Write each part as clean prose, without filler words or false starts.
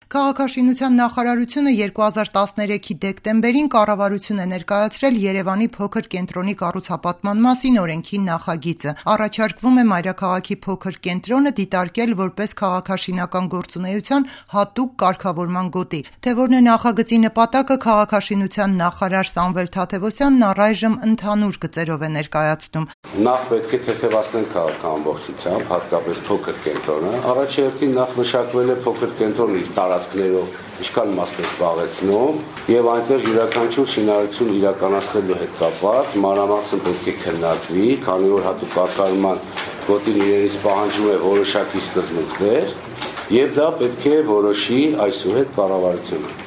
Քաղաքաշինության նախարարությունը 2013-ի դեկտեմբերին կառավարություն է ներկայացրել Երևանի փոքր կենտրոնի կառուցապատման մասին օրենքի նախագիծը։ Առաջարկվում է մայրաքաղաքի փոքր կենտրոնը դիտարկել որպես քաղաքաշինական գործունեության հատուկ կարգավորման գոտի։ Թե որն է նախագծի նպատակը, քաղաքաշինության նախարար Սամվել Թադևոսյանն առայժմ ընդհանուր գծերով է ներկայացնում։ Նախ պետք է թեթևացնենք քաղաքը ամբողջությամբ, հատկապես փոքր կենտրոնը։ Առաջի հերթին նախ մշակվել է փոքր կենտրոնը իր տարածքներով, ինչքան մասն է զբաղեցնում, եւ այնտեղ յուրաքանչյուր շինարարություն իրականացնելու հետ կապված մանրամասն պետք է քննարկվի, քանի որ հատուկ կարգավորման գոտին իրենից պահանջում է որոշակի սկզբունքներ, եւ դա պետք է որոշի այսուհետ կառավարությունը։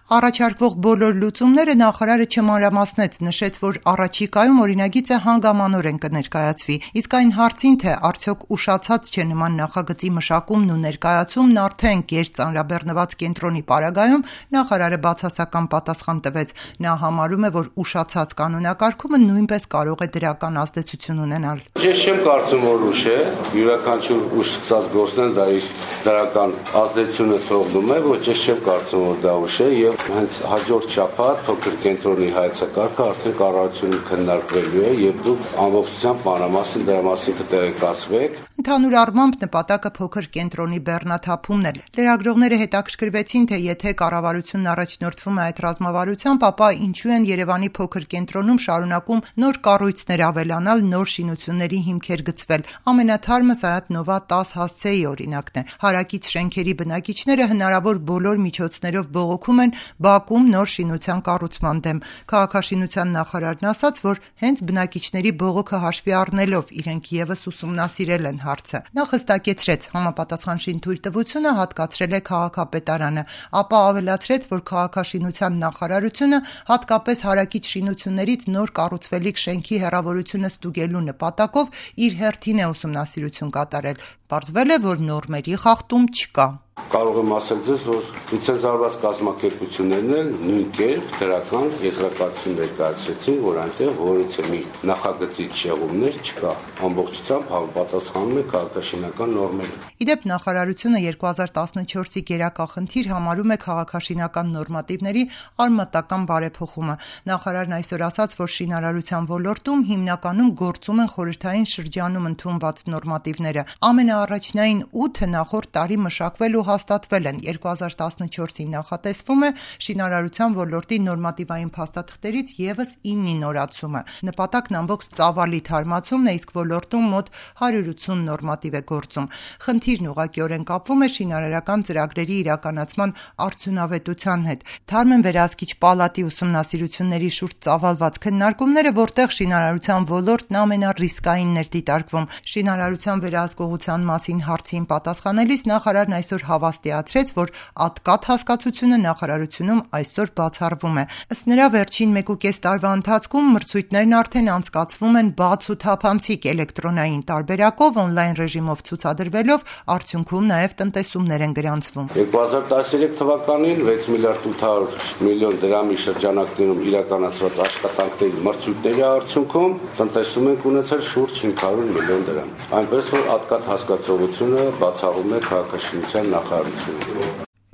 Առաջարկվող բոլոր լուծումները նախարարը չմանրամասնեց, նշեց, որ առաջիկայում օրինագիծը հանգամանորեն կներկայացվի, իսկ այն հարցին, թե արդյոք ուշացած չէ նման նախագծի մշակումն ու ներկայացումն արդեն գերծանրաբեռնված կենտրոնի պարագայում, նախարարը բացասական պատասխան տվեց։ Նա համարում է, որ ուշացած կանոնակարգումը նույնպես կարող է դրական ազդեցություն ունենալ։ Ես չեմ կարծում, որ ուշ է, յուրաքանչյուր ուշ սկսած գործն դա իր դրական ազդեցությունը թողնում է, ոչ ես չեմ կարծում, որ դա ուշ է եւ հենց հաջորդ շաբաթ փոքր կենտրոնի հայեցակարգը արդեն կառավարությունում քննարկվելու է եւ դուք ամբողջությամբ մանրամասն դրա մասին կտեղեկացվեք։ Ընդհանուր առմամբ նպատակը փոքր կենտրոնի բեռնաթափումն է։ Լրագրողները հետաքրքրվեցին, թե եթե կառավարությունն առաջնորդվում է այդ ռազմավարությամբ, ապա ինչու են Երևանի փոքր կենտրոնում շարունակում նոր կառույցներ ավելանալ, նոր շինությունների հիմքեր գծվել։ Ամենաթարմը Սայաթ Նովա 10 հասցեի օրինակն է։ Հարակից շենքերի բնակիչները հնարավոր բոլոր միջոցներով բողոքում են Բաքում նոր շինության կառուցման դեմ։ Քաղաքաշինության նախարարն ասաց, որ հենց բնակիչների բողոքը հաշվի առնելով իրենք եւս ուսումնասիրել են հարցը։ Նա հստակեցրեց, համապատասխան շինթույլտվությունը հատկացրել է քաղաքապետարանը, ապա ավելացրեց, որ քաղաքաշինության նախարարությունը հատկապես հարակից շինություններից նոր կառուցվելիք շենքի հեռավորությունը ստուգելու նպատակով իր հերթին է ուսումնասիրություն կատարել։ Պարզվել է, որ նորմերի խախտում չկա։ Կարող եմ ասել ձեզ, որ լիցենզավորված կազմակերպություններն էլ նույն կերպ դրական եզրակացություն ներկայացրեցին, որ այնտեղ որևէ մի նախագծից շեղումներ չկա, ամբողջությամբ համապատասխանում է քաղաքաշինական նորմերին։ Իդեպ նախարարությունը 2014-ի գերակախնդիր համարում է քաղաքաշինական նորմատիվների արմատական բարեփոխումը։ Նախարարն այսօր ասաց, որ շինարարության ոլորտում հիմնականում գործում են խորհրդային շրջանում ընդունված նորմատիվները։ Ամենաառաջնային 8-ը նախորդ տարի մշակվել ու հաստատվել են։ 2014-ին նախատեսվում է շինարարության ոլորտի նորմատիվային փաստաթղթերից եւս 9-ի նորացումը։ Նպատակն ամբողջ ծավալի թարմացումն է, իսկ ոլորտում մոտ 180 նորմատիվ է գործում։ Խնդիրն ուղղակիորեն կապվում է շինարարական ծրագրերի իրականացման արդյունավետության հետ։ Թարմ են վերահսկիչ պալատի ուսումնասիրությունների շուրջ ծավալված քննարկումները, որտեղ շինարարության ոլորտն ամենառիսկայինն էր դիտարկվում։ Շինարարության վերահսկողության մասին հարցին պատասխանելիս նախարարն այսօր հավաստիացրեց, որ ատկատ հասկացությունը նախարարությունում այսօր բացառվում է։ Ըստ նրա, վերջին 1.5 տարվա ընթացքում մրցույթներն արդեն անցկացվում են բաց ու թափանցիկ էլեկտրոնային տարբերակով, օնլայն ռեժիմով ցուցադրվելով, արդյունքում նաև տնտեսումներ են գրանցվում։ 2013 թվականին 6 միլիարդ 800 միլիոն դրամի շրջանակներում իրականացված աշխատանքների մրցույթների արդյունքում տնտեսում ենք ունեցել շուրջ 500 միլիոն դրամ։ Այնպես որ ատկատ հասկացողությունը բացառում է քաղաքաշինության նախարարությունը։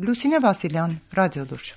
Լուսինե Վասիլյան, Ռադիոլուրջ։